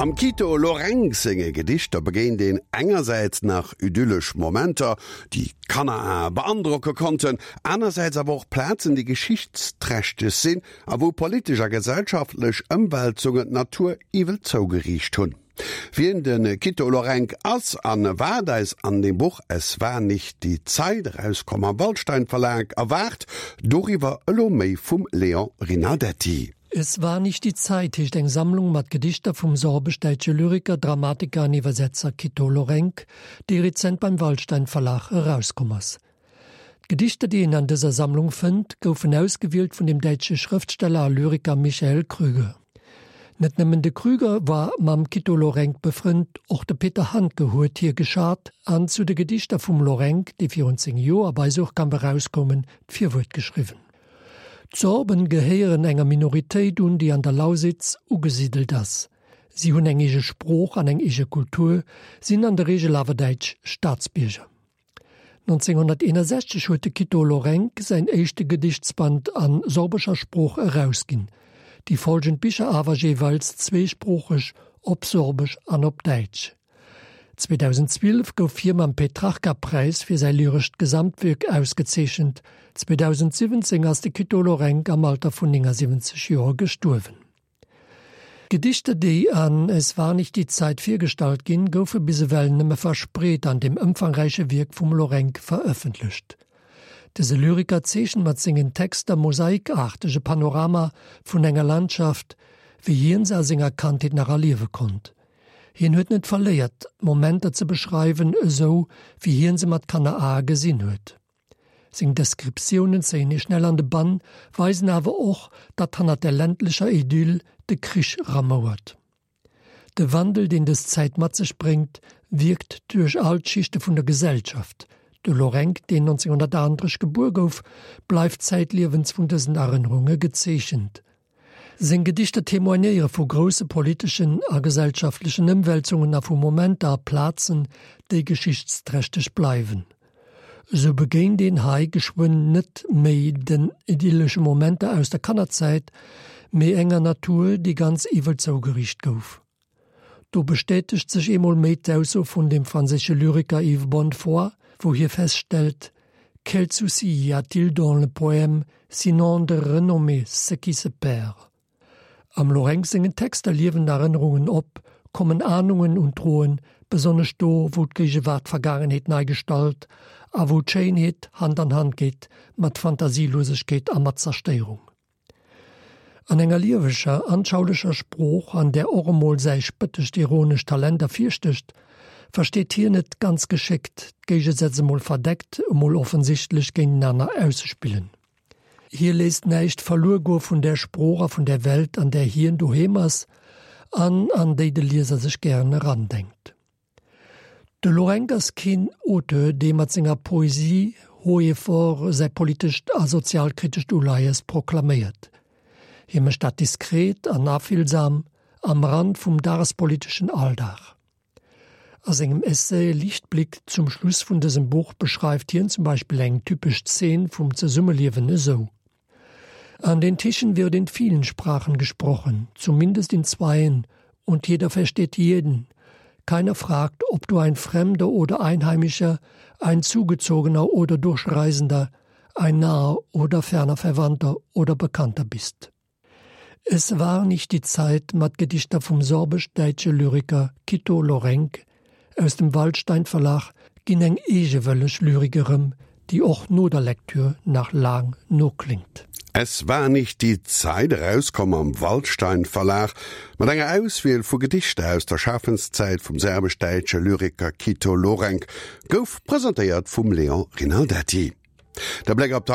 Am Quito Lorenc senge Gedichter begéint een engersäits nach idyllesch Momenter, déi d'Kannerae beandrocke konnten, anersäits awer och Plazen, déi geschichtsträchteg sinn a wou politesch a gesellschaftlech Ëmwälzungen d'Natur iwwel zougeriicht hunn. Wien de Quito Lorenc ass an wat eis an dem Buch Es war nicht die Zeit, erauskomm am Waldstein Verlag, erwaart, doriwwer elo méi vum Léon Rinaldetti. Es war nicht die Zeit heescht eng Sammlung mat Gedichter vum sorbesch-däitsche Lyriker, Dramatiker an Iwwersetzer Quito Lorenc, déi rezent beim Waldstein Verlag erauskomm ass. D'Gedichter, déi een an dëser Sammlung fënnt, goufen ausgewielt vun dem däitsche Schrëftsteller a Lyriker Michael Krüger. Net nëmmen de Krüger war mam Quito Lorenc befrënnt, och de Peter Handke huet hie geschat an zu de Gedichter vum Lorenc, déi virun 10 Joer bei Suhrkamp erauskoumen, d'Virwuert geschriwwen. D'Sorben gehéieren enger Minoritéit un, déi an der Lausitz ugesidelt ass. Si hunn eng eege Sprooch an eng eege Kultur, sinn an der Reegel awer däitsch Staatsbierger. 1961 huet de Quito Lorenc säin éischte Gedichtsband a sorbescher Sprooch erausginn, déi folgend Bicher awer jeeweils zweesproocheg, op Sorbesch an op Däitsch. 2012 gouf hie mam Petrarca-Präis fir säi lyrescht Gesamtwierk ausgezeechent. 2017 ass de Quito Lorenc am Alter vun 79 Joer gestuerwen. D'Gedichter, déi an Es war nicht die Zeit virgestallt ginn, goufe bis ewell nëmme verspreet an dem ëmfangräiche Wierk vum Lorenc verëffentlecht. Dëse Lyriker zeechent mat sengen Texter mosaikaarteg e Panorama vun enger Landschaft, wéi hien se a senger Kandheet nach erliewe konnt. Hien huet net verléiert, Momenter ze beschreiwen, esou wéi hien se mat Kannerae gesinn huet. Seng Deskriptiounen zéien ee schnell an de Bann, weisen awer och, datt hannert der ländlecher Idyll de Krich ramouert. De Wandel, deen dës Zäit mat sech bréngt, wierkt duerch all d'Schichte vun der Gesellschaft. De Lorenc, deen 1938 gebuer gouf, bleift zäitliewens vun dësen Erënnerunge gezeechent. Seng Gedichter témoignéiere vu grousse politeschen a gesellschaftlechen Ëmwälzungen a vu Momenter a Plazen, déi geschichtsträchteg bleiwen. Esou begéint een hei geschwënn net méi den idyllesche Momenter aus der Kannerzäit, mee enger Natur, déi ganz iwwel zougeriicht gouf. Do bestätegt sech eemol méi d'Ausso vun dem franséische Lyriker Yves Bonnefoy, wou hie feststellt, Quel souci y a-t-il dans le poème, sinon de renommer ce qui se perd? Am Lorenc sengen Texter liewen Erënnerungen op, kommen Ahnungen un d'Droen, besonnesch do, wou d'Géigewaart d'Vergaangenheet nei gestalt a wou d'Schéinheet Hand an Hand geet mat Fantasielosegkeet a mat Zerstéierung. An enger lieweger, anschaulecher Sprooch, an där och emol säi spëttescht ironescht Talent ervirstécht, versteet hien et ganz geschéckt, d'Géigesätz emol verdeckt, emol offensichtlech géintenaner auszespillen. Hie léisst näischt verluer goe vun där Sprooch a vun där Welt, an där hien doheem ass an an déi de Lieser sech gären erandenkt. De Lorenc ass keen Auteur, dee mat senger Poesie haut et fort säi politescht a sozialkritescht Uleies proklaméiert. Hie mécht dat diskret an afillsam, am Rand vum dagespoliteschen Alldag. A sengem Essai Lichtblick zum Schluss vun dësem Buch beschreift hien zum Beispill eng typesch Zeen vum Zesummeliewen esou, An den Tischen wird in vielen Sprachen gesprochen, zumindest in zweien, und jeder versteht jeden. Keiner fragt, ob du ein Fremder oder Einheimischer, ein Zugezogener oder Durchreisender, ein naher oder ferner Verwandter oder Bekannter bist. Es war nicht die Zeit mat Gedichter vum sorbesch-däitsche Lyriker Quito Lorenc aus dem Waldstein Verlag ginn eng eegewëlleg Lyrik erëm, déi och no der Lektür nach laang nokléngt. Es war nicht die Zeit, erauskomm am Waldstein Verlag, mat enger Auswiel vu Gedichter aus der Schafenszäit vum serbesch-däitsche Lyriker Quito Lorenc, gouf presentéiert vum Léon Rinaldetti. De Bléck op.